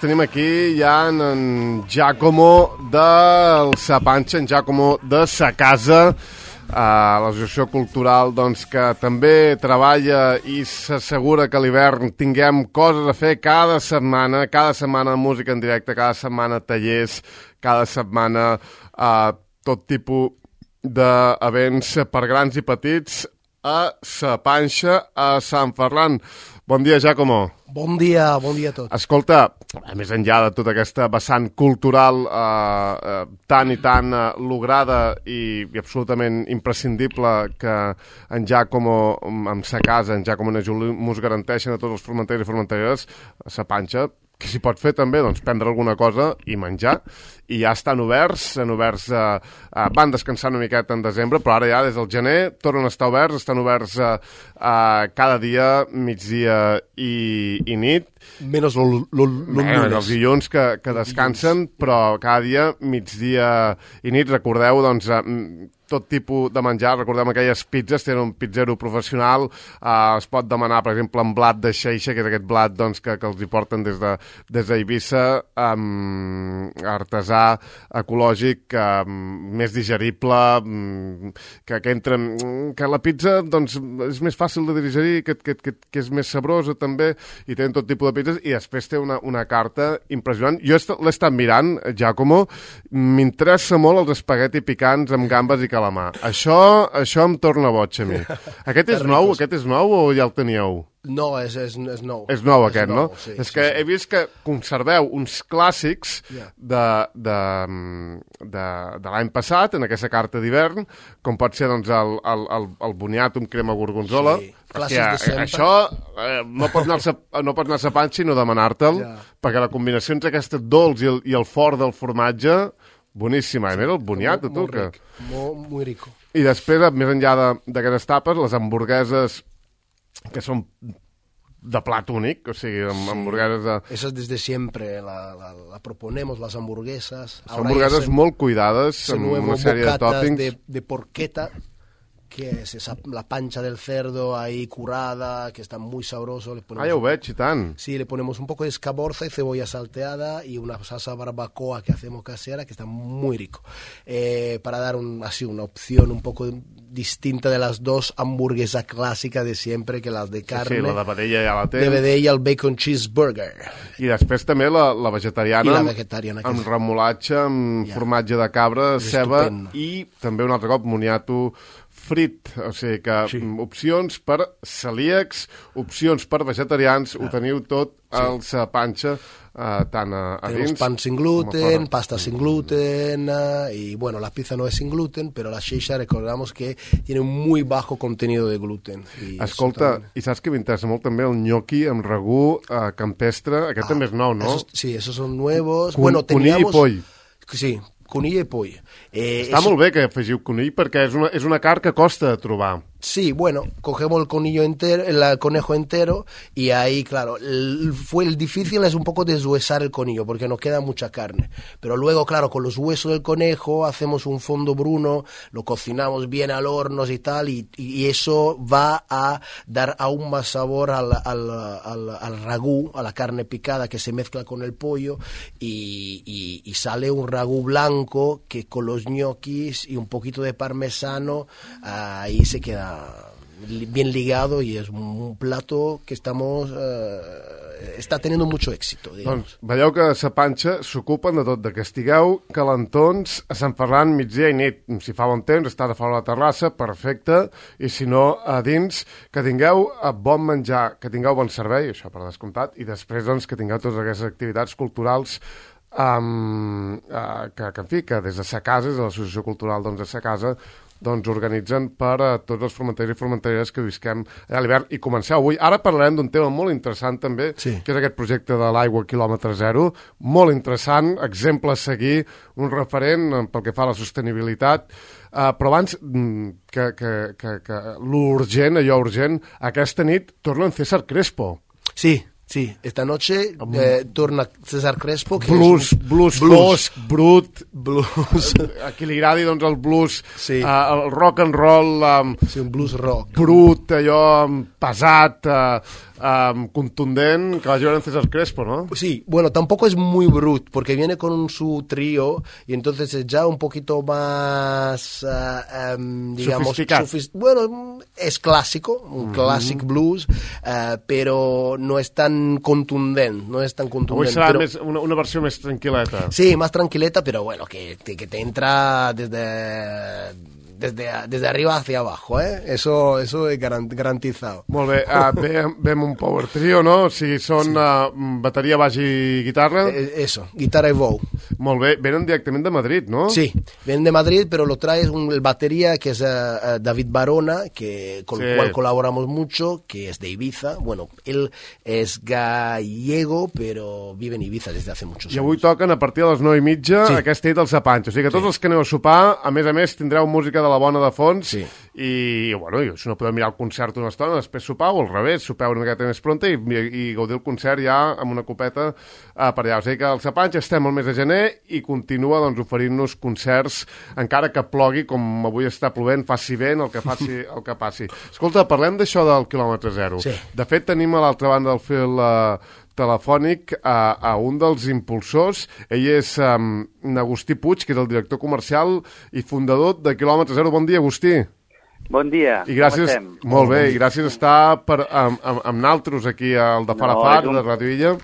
tenim aquí ja en Giacomo del Sa Panxa, en Giacomo de Sa Casa, l'associació cultural doncs, que també treballa i s'assegura que a l'hivern tinguem coses a fer cada setmana música en directe, cada setmana tallers, cada setmana tot tipus d'events per grans i petits a Sa Panxa, a Sant Ferran. Bon dia, Giacomo. Bon dia a tots. Escolta, més enllà de tota aquesta vessant cultural tan i tan lograda i absolutament imprescindible que en Giacomo, amb Sa Casa, en Giacomo i en Juli mos garanteixen a tots els formenters i formenteres a Sa Panxa, que s'hi pot fer també, doncs, prendre alguna cosa i menjar, i ja estan oberts, van descansar una miqueta en desembre, però ara ja des del gener tornen a estar oberts, estan oberts cada dia, migdia i nit. Menys els dilluns que descansen, però cada dia, migdia i nit, recordeu, doncs, tot tipus de menjar, recordem aquelles pizzas, tenen un pizzero professional, es pot demanar, per exemple, en blat de xeixa, que és aquest blat doncs, que els hi porten des d'Eivissa, artesà, ecològic, més digerible, que la pizza doncs, és més fàcil de digerir, que és més sabrosa també, i tenen tot tipus de pizzas, i després té una carta impressionant. Jo l'he estat mirant, Giacomo, m'interessa molt els espagueti picants amb gambes i calamar. Això em torna boig a mi. Aquest és nou o ja el teníeu? No, és nou. És nou aquest, no? Sí, és que he vist que conserveu uns clàssics de l'any passat, en aquesta carta d'hivern, com pot ser doncs, el boniato amb crema gorgonzola. Sí, clàssics de sempre. Això no pots anar a Sa Panxa i no demanar-te'l, perquè la combinació entre aquest dolç i el fort del formatge, boníssima. Mira el boniato, tu. Molt ric, molt rico. I després, més enllà d'aquestes tapes, les hamburgueses que són de plat únic, o sigui, hamburgueses de... Eso es desde siempre, la proponemos, las hamburguesas. Son hamburguesas molt cuidades, amb una sèrie de tòpings. De porqueta, que es la pancha del cerdo ahí curada, que está muy sabroso. Ja ho veig, i tant. Sí, le ponemos un poco de escaborza y cebolla salteada y una salsa barbacoa que hacemos casera, que está muy rico. Para dar así una opción un poco distinta de las dos hamburguesas clàssiques de siempre, que las de carne. Sí, la de vedella ja la té. De vedella, el bacon cheeseburger. I després també la vegetariana. I la vegetariana. Amb remolatge, amb formatge de cabra, ceba i també un altre cop moniato frit, o sigui que opcions per celíacs, opcions per vegetarians, ho teniu tot al Sa Panxa, tant a dins. Tenemos pan sin gluten, pasta sin gluten, y bueno, la pizza no es sin gluten, pero la shisha recordamos que tiene un muy bajo contenido de gluten. Escolta, i saps que m'interessa molt també el gnocchi amb ragú campestre, aquest també és nou, no? Sí, esos son nuevos. Conill i poll. Sí, conill i poll. Està molt bé que afegiu conill perquè és una carn que costa de trobar. Sí, bueno, cogemos el conejo entero y ahí, claro, el difícil es un poco deshuesar el conillo porque nos queda mucha carne. Pero luego, claro, con los huesos del conejo hacemos un fondo bruno, lo cocinamos bien al horno y tal, y eso va a dar aún más sabor al ragú, a la carne picada que se mezcla con el pollo y sale un ragú blanco que con los ñoquis y un poquito de parmesano, ahí se queda bien ligado y es un plato que está teniendo mucho éxito, digamos. Doncs veieu que a Sa Panxa s'ocupen de tot, que estigueu calentons a Sant Ferran migdia i nit. Si fa bon temps, estàs a fora de la terrassa, perfecte, i si no, a dins, que tingueu bon menjar, que tingueu bon servei, això per descomptat, i després doncs, que tingueu totes aquestes activitats culturals que en fi, que des de Sa Casa, des de l'Associació Cultural de Sa Casa, doncs organitzen per a tots els formenters i formenteres que visquem a l'hivern. I comenceu avui. Ara parlarem d'un tema molt interessant també, que és aquest projecte de l'aigua quilòmetre zero. Molt interessant, exemple a seguir, un referent pel que fa a la sostenibilitat. Però abans que l'urgent, allò urgent, aquesta nit torna en César Crespo. Sí, Sí, esta noche torna César Crespo, que blues fosc, brut, blues. A qui li agradi doncs el blues, sí. El rock and roll, sí, un blues rock brut, allò pesat, contundent, que vagi a veure en César Crespo, ¿no? Sí, bueno, tampoco es muy brut, porque viene con su trío y entonces es ya un poquito más, digamos, bueno, es clásico, un classic blues, pero no es tan contundente, Avui serà pero, una versió més tranquil·leta. Sí, más tranquileta, pero bueno, que te entra desde arriba hacia abajo, Eso es garantizado. Molt bé, ve amb un power trio, no? O sigui, són bateria, baix i guitarra. Eso, guitarra y bow. Molt bé, venen directament de Madrid, no? Sí, vienen de Madrid, pero lo trae el batería, que es David Barona, con el cual colaboramos mucho, que es de Ibiza. Bueno, él es gallego, pero vive en Ibiza desde hace muchos años. I avui toquen a partir de les 9:30 aquesta nit al Sapancho. O sigui que tots els que aneu a sopar, a més, tindreu música de la bona de fons, i bueno, si no podeu mirar el concert una estona, després sopar, o al revés, sopeu una miqueta més pronta i gaudir el concert ja amb una copeta per allà. O sigui que al Sapancho estem al mes de gener i continua doncs, oferint-nos concerts, encara que plogui, com avui està plovent, faci vent, el que passi. Escolta, parlem d'això del quilòmetre zero. Sí. De fet, tenim a l'altra banda del fil telefònic a un dels impulsors. Ell és Agustí Puig, que és el director comercial i fundador de Quilòmetre Zero. Bon dia, Agustí. Bon dia, com estem? Molt bé, i gràcies a estar amb naltros aquí al de Farafar, de Radio Illa.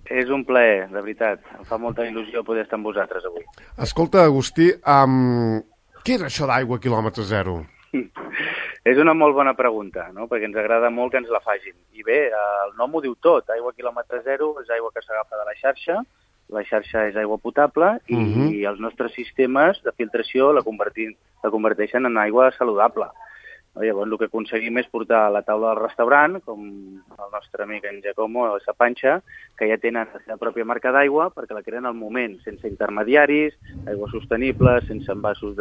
És un plaer, de veritat. Em fa molta il·lusió poder estar amb vosaltres avui. Escolta, Agustí, què és això d'aigua quilòmetre zero? És una molt bona pregunta, no? Perquè ens agrada molt que ens la facin. I bé, el nom ho diu tot. Aigua quilòmetre zero és aigua que s'agafa de la xarxa és aigua potable i els nostres sistemes de filtració la converteixen en aigua saludable. Llavors, el que aconseguim és portar a la taula del restaurant, com el nostre amic en Giacomo, a la Panxa, que ja tenen la seva pròpia marca d'aigua perquè la creen al moment, sense intermediaris, aigua sostenible, sense envasos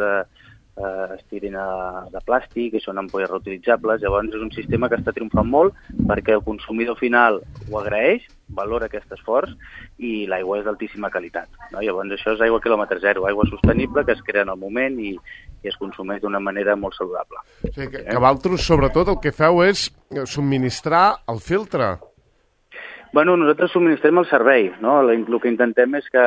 estirena de plàstic, que són ampolles reutilitzables. Llavors és un sistema que està triomfant molt perquè el consumidor final ho agraeix, valora aquest esforç i l'aigua és d'altíssima qualitat. Llavors això és aigua quilòmetre zero, aigua sostenible que es crea en el moment i es consumeix d'una manera molt saludable. O sigui que vosaltres, sobretot, el que feu és subministrar el filtre. Bueno, nosaltres subministrem el servei, no? El que intentem és que,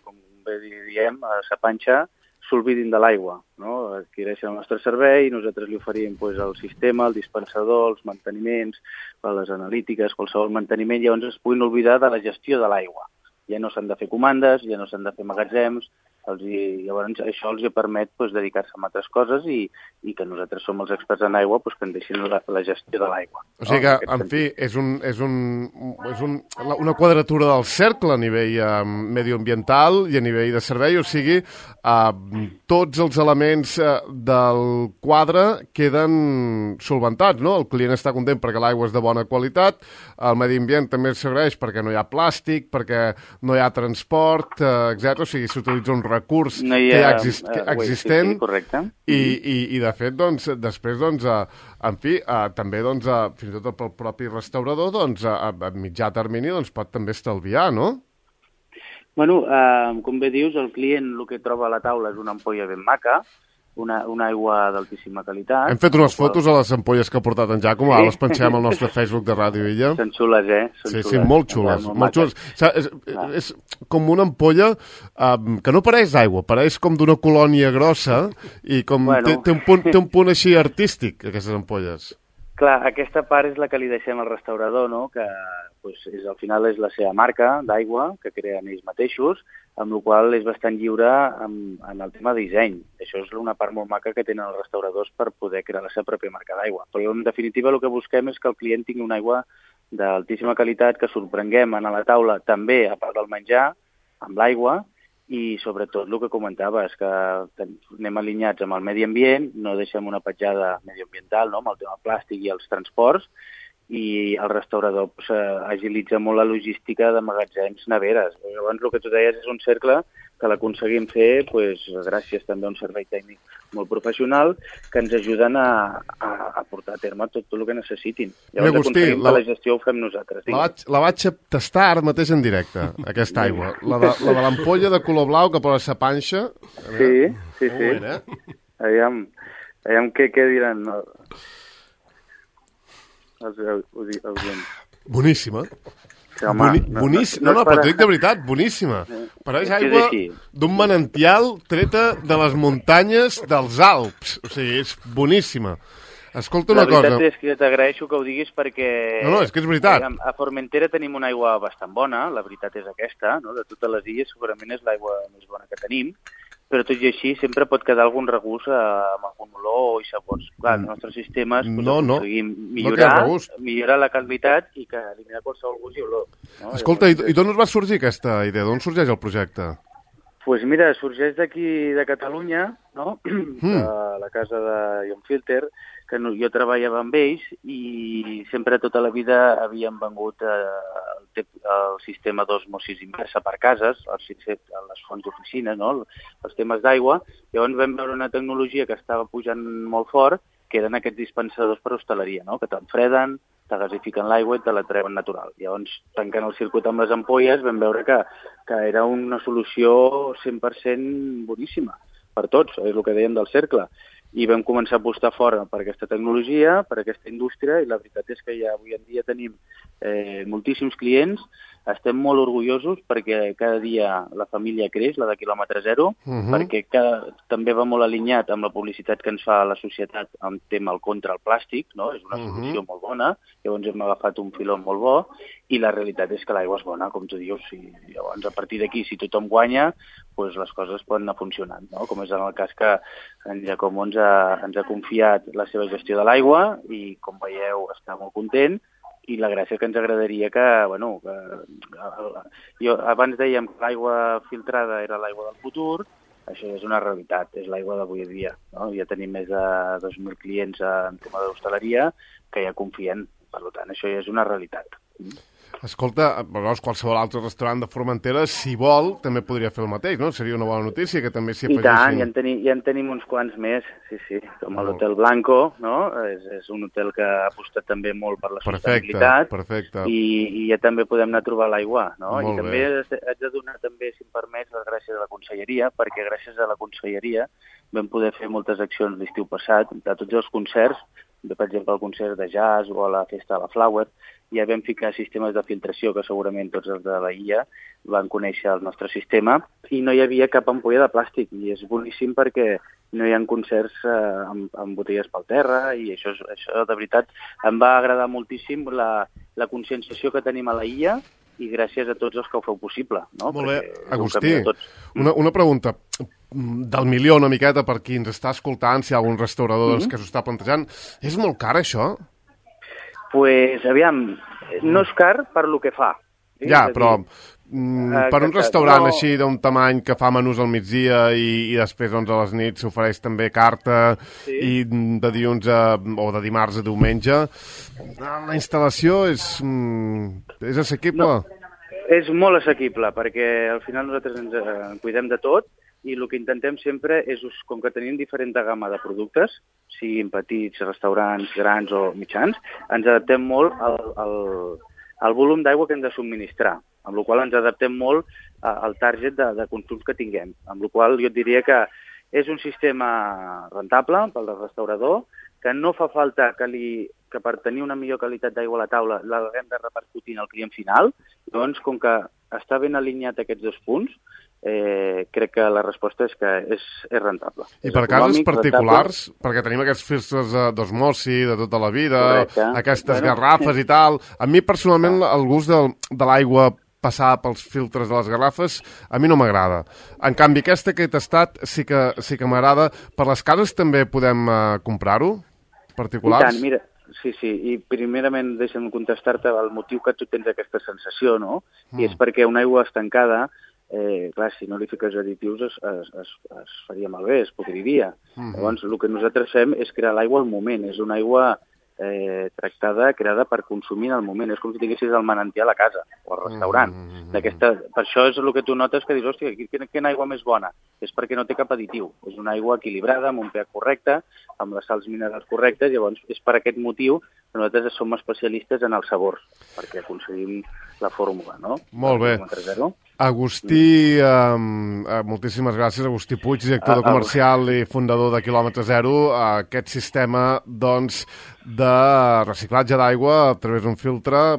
com bé diem, a la Panxa s'olvidin de l'aigua, no? Adquireixen el nostre servei i nosaltres li oferim el sistema, el dispensador, els manteniments, les analítiques, qualsevol manteniment, llavors es puguin oblidar de la gestió de l'aigua. Ja no s'han de fer comandes, ja no s'han de fer magatzems, llavors això els permet dedicar-se a altres coses i que nosaltres som els experts en aigua que en deixin la gestió de l'aigua. O sigui que, en fi, és una quadratura del cercle a nivell medioambiental i a nivell de servei, o sigui, tots els elements del quadre queden solventats, no? El client està content perquè l'aigua és de bona qualitat, el medi ambient també s'agraeix perquè no hi ha plàstic, perquè no hi ha transport, etc. O sigui, s'utilitza un recurs que ja existent i de fet, després, en fi, també, fins i tot pel propi restaurador, a mitjà termini, pot també estalviar, no? Bueno, com bé dius, el client el que troba a la taula és una ampolla ben maca, una aigua d'altíssima qualitat. Hem fet unes fotos a les ampolles que ha portat en Giacomo, ara les penxem al nostre Facebook de Ràdio Illa. Són xules, Sí, molt xules. És com una ampolla que no pareix d'aigua, pareix com d'una colònia grossa i té un punt així artístic, aquestes ampolles. Clar, aquesta part és la que li deixem al restaurador, no? Que al final és la seva marca d'aigua que creen ells mateixos, amb la qual és bastant lliure en el tema de disseny. Això és una part molt maca que tenen els restauradors per poder crear la seva pròpia marca d'aigua. Però en definitiva el que busquem és que el client tingui una aigua d'altíssima qualitat, que sorprenguem a la taula també, a part del menjar, amb l'aigua, i sobretot el que comentava és que anem alineats amb el medi ambient, no deixem una petjada medioambiental, no? Amb el tema plàstic i els transports, i el restaurador agilitza molt la logística de magatzems, neveres. Llavors el que tu deies és un cercle que l'aconseguim fer gràcies també a un servei tècnic molt professional que ens ajuden a portar a terme tot el que necessitin. Llavors Agustí, aconseguim que la gestió ho fem nosaltres. La vaig tastar ara mateix en directe, aquesta aigua. La de l'ampolla de color blau que posa sa panxa. Sí. Bueno, Aviam què diran els oients. Boníssima. Sí, home, boníssima. No, però t'ho dic de veritat, boníssima. Pareix aigua d'un manantial treta de les muntanyes dels Alps. O sigui, és boníssima. Escolta una cosa. La veritat és que t'agraeixo que ho diguis perquè... No, és que és veritat. A Formentera tenim una aigua bastant bona, la veritat és aquesta, no? De totes les illes segurament és l'aigua més bona que tenim, però tot i així sempre pot quedar algun regús amb algun olor i sabors. Clar, els nostres sistemes aconseguim millorar la qualitat i que eliminar qualsevol gust i olor. No? Escolta, i d'on us va sorgir aquesta idea? D'on sorgeix el projecte? Doncs mira, sorgeix d'aquí de Catalunya, no? De la casa de Ion Filter, que jo treballava amb ells i sempre tota la vida havíem vengut el sistema d'osmosis inversa per cases, les fonts d'oficina, no? Els temes d'aigua. Llavors vam veure una tecnologia que estava pujant molt fort, que eren aquests dispensadors per hostaleria, no? Que t'enfreden, te gasifiquen l'aigua i te la treuen natural. Llavors, tancant el circuit amb les ampolles, vam veure que era una solució 100% boníssima per tots, és el que dèiem del cercle. I vam començar a apostar fora per aquesta tecnologia, per aquesta indústria, i la veritat és que ja avui en dia tenim moltíssims clients, estem molt orgullosos perquè cada dia la família creix, la de quilòmetre zero, perquè també va molt alineat amb la publicitat que ens fa la societat amb tema contra el plàstic, no? És una solució molt bona, llavors hem agafat un filó molt bo, i la realitat és que l'aigua és bona, com tu dius, i llavors a partir d'aquí, si tothom guanya, doncs les coses poden anar funcionant, no? Com és en el cas que en Giacomo ens ha confiat la seva gestió de l'aigua i, com veieu, està molt content, i la gràcia que ens agradaria jo abans dèiem que l'aigua filtrada era l'aigua del futur, això és una realitat, és l'aigua d'avui dia, no? Ja tenim més de 2.000 clients en tema d'hostaleria que ja confien, per tant, això ja és una realitat. Escolta, qualsevol altre restaurant de Formentera, si vol, també podria fer el mateix, no? Seria una bona notícia que també s'hi afegissin... I tant, ja en tenim uns quants més, sí, com l'Hotel Blanco, no? És un hotel que ha apostat també molt per la sostenibilitat. Perfecte. I ja també podem anar a trobar l'aigua, no? I també haig de donar també, si em permets, les gràcies a la Conselleria, perquè gràcies a la Conselleria vam poder fer moltes accions l'estiu passat, de tots els concerts, per exemple, el concert de jazz o a la festa de la Flower, ja vam ficar sistemes de filtració que segurament tots els de la illa van conèixer el nostre sistema i no hi havia cap ampolla de plàstic i és boníssim perquè no hi ha concerts amb botelles pel terra i això de veritat em va agradar moltíssim la conscienciació que tenim a la illa i gràcies a tots els que ho feu possible. No? Molt bé, Agustí, una pregunta del milió una miqueta per qui ens està escoltant, si hi ha algun restaurador que s'ho està plantejant. És molt car, això? Pues, aviam, no és car per lo que fa. Ja, però per un restaurant així d'un tamany que fa menús al migdia i després doncs, a les nits s'ofereix també carta i de dilluns o de dimarts a diumenge, la instal·lació és assequible? No, és molt assequible perquè al final nosaltres ens cuidem de tot i el que intentem sempre és, com que tenim diferent gamma de productes, siguin petits, restaurants, grans o mitjans, ens adaptem molt al volum d'aigua que hem de subministrar, amb la qual ens adaptem molt al target de consums que tinguem, amb la qual jo et diria que és un sistema rentable pel restaurador, que no fa falta que per tenir una millor qualitat d'aigua a la taula l'haguem de repercutir en el client final, doncs com que està ben alineat aquests dos punts, crec que la resposta és que és rentable. I per casos particulars, perquè tenim aquests filtres d'osmosi de tota la vida, aquestes garrafes i tal, a mi personalment el gust de l'aigua passar pels filtres de les garrafes a mi no m'agrada. En canvi, aquesta que he tastat sí que m'agrada. Per les cases també podem comprar-ho? Particulars? I tant, mira, sí, i primerament deixa'm contestar-te el motiu que tu tens aquesta sensació, no? I és perquè una aigua estancada, clar, si no li fiques additius es faria malbé, es podriria. Llavors, el que nosaltres fem és crear l'aigua al moment. És una aigua tractada, creada per consumir en el moment. És com si tinguessis el manantial a casa o al restaurant. Per això és el que tu notes que dius, hòstia, quina aigua més bona? És perquè no té cap additiu. És una aigua equilibrada, amb un pH correcte, amb les sals minerals correctes, llavors és per aquest motiu que nosaltres som especialistes en els sabors, perquè aconseguim la fórmula, no? Molt bé. Agustí, moltíssimes gràcies, Agustí Puig, director comercial i fundador de Quilòmetre Zero. Aquest sistema, doncs, de reciclatge d'aigua a través d'un filtre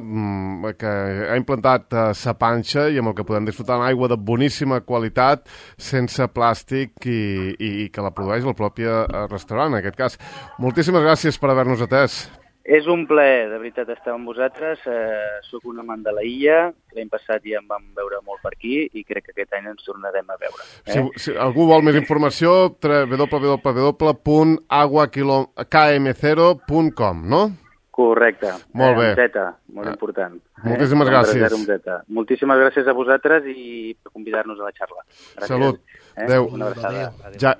que ha implantat Sa Panxa i amb el que podem disfrutar d'aigua de boníssima qualitat, sense plàstic i que la produeix el propi restaurant, en aquest cas. Moltíssimes gràcies per haver-nos atès. És un plaer, de veritat, estar amb vosaltres. Soc un amant de la illa. L'any passat ja em vam veure molt per aquí i crec que aquest any ens tornarem a veure. Si algú vol més informació, www.aguakm0.com, no? Correcte. Molt bé. Amb Z, molt important. Moltíssimes gràcies. Moltíssimes gràcies a vosaltres i per convidar-nos a la xarra. Gràcies. Salut. Adéu. Una abraçada.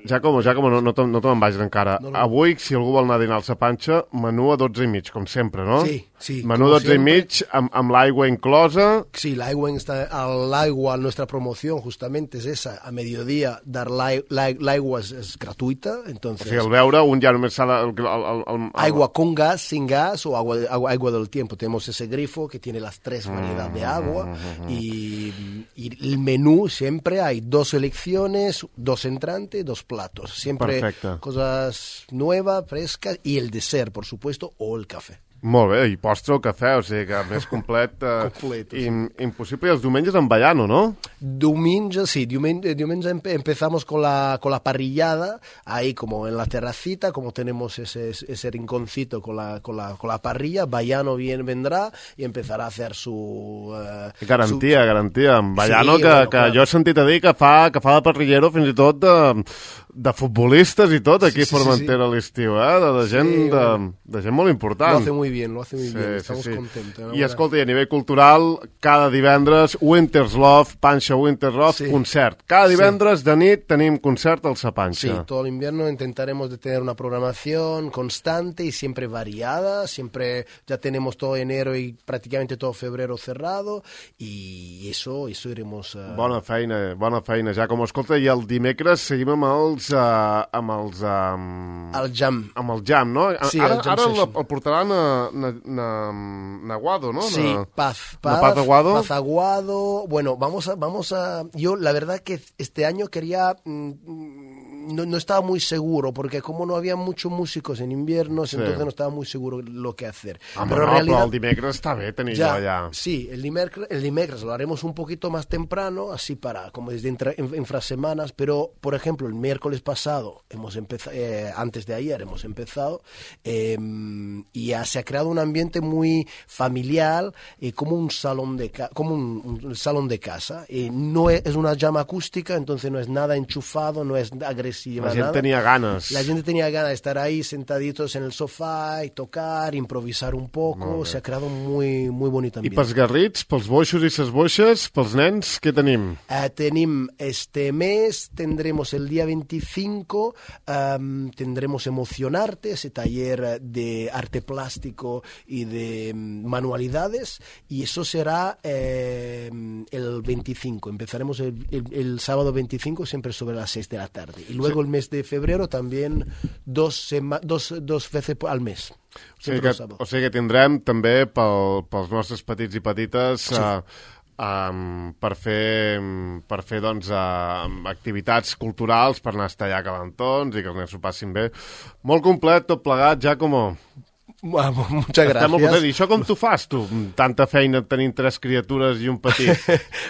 Giacomo, no te me'n vagis encara. Avui, si algú vol anar a dinar al Sa Panxa, menú a 12,5, com sempre, no? Sí. Menú a 12,5, amb l'aigua inclosa. Sí, l'aigua, nuestra promoción justamente es esa. A mediodía dar l'aigua es gratuita, entonces... O sigui, al beure, un ja només s'ha de... Agua con gas, sin gas o agua del tiempo. Tenemos ese grifo que tiene las 3 variedades de agua y el menú siempre hay 2 selecciones, 2 entrantes, 2 platos. Siempre cosas nuevas, frescas y el dessert, por supuesto, o el café. Molt bé, i postre o cafè, o sigui que més complet, impossible. I els diumenges en Baiano, ¿no? Diumenge empezamos con la parrillada, ahí como en la terracita, como tenemos ese rinconcito con la parrilla, Baiano vendrà i empezarà a hacer su... Garantia. En Baiano, sí, que jo he sentit a dir que fa de parrillero fins i tot de futbolistes i tot aquí a Formentera a l'estiu, de gent molt important. Lo hace muy bien, estamos contentos. I escolta, a nivell cultural, cada divendres, Winter's Love, Panxa Winter's Love, concert. Cada divendres de nit tenim concert al Sa Panxa. Sí, todo el invierno intentaremos de tener una programación constante y siempre variada, siempre ya tenemos todo enero y prácticamente todo febrero cerrado y eso iremos... Bona feina, ja com escolta, i el dimecres seguim amb el jam, no? Sí, ara el portaran a Aguado, ¿no? Sí, Paz Aguado. Bueno, vamos a... Yo la verdad que este año quería... No estaba muy seguro, porque como no había muchos músicos en inviernos, entonces no estaba muy seguro lo que hacer. Pero el dimecres está bien tenerlo allá. Sí, el dimecres lo haremos un poquito más temprano, así como desde infrasemanas, pero, por ejemplo, el miércoles pasado, antes de ayer hemos empezado, y ya se ha creado un ambiente muy familiar, como un salón de casa. No es una llama acústica, entonces no es nada enchufado, no es agresiva. La gente tenía ganas. La gente tenía ganas de estar ahí sentaditos en el sofà i tocar, improvisar un poco. Se ha creado muy bonito ambiente. I pels garrits, pels boixos i ses boixes, pels nens, què tenim? Tenim este mes, tendremos el día 25, tendremos Emocionarte, ese taller de arte plástico y de manualidades, y eso será el 25. Empezaremos el sábado 25, siempre sobre las 6 de la tarde. Y luego el mes de febrero también 2 veces al mes. O sigui que tindrem també pels nostres petits i petites per fer doncs, activitats culturals, per anar a estar allà calentons i que els nens s'ho passin bé. Molt complet, tot plegat, Giacomo. Muchas gracias. ¿Y eso cómo tú fas, tú? Tanta feina tenint 3 criaturas y un petit.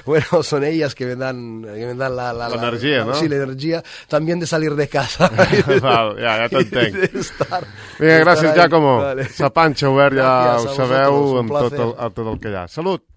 Bueno, son ellas que me dan la energía, ¿no? Sí, la energía. También de salir de casa. Val, ja t'entenc. Vinga, gràcies, Giacomo. Vale. Sa Panxa obert, ja ho sabeu, amb tot el que hi ha. Salut!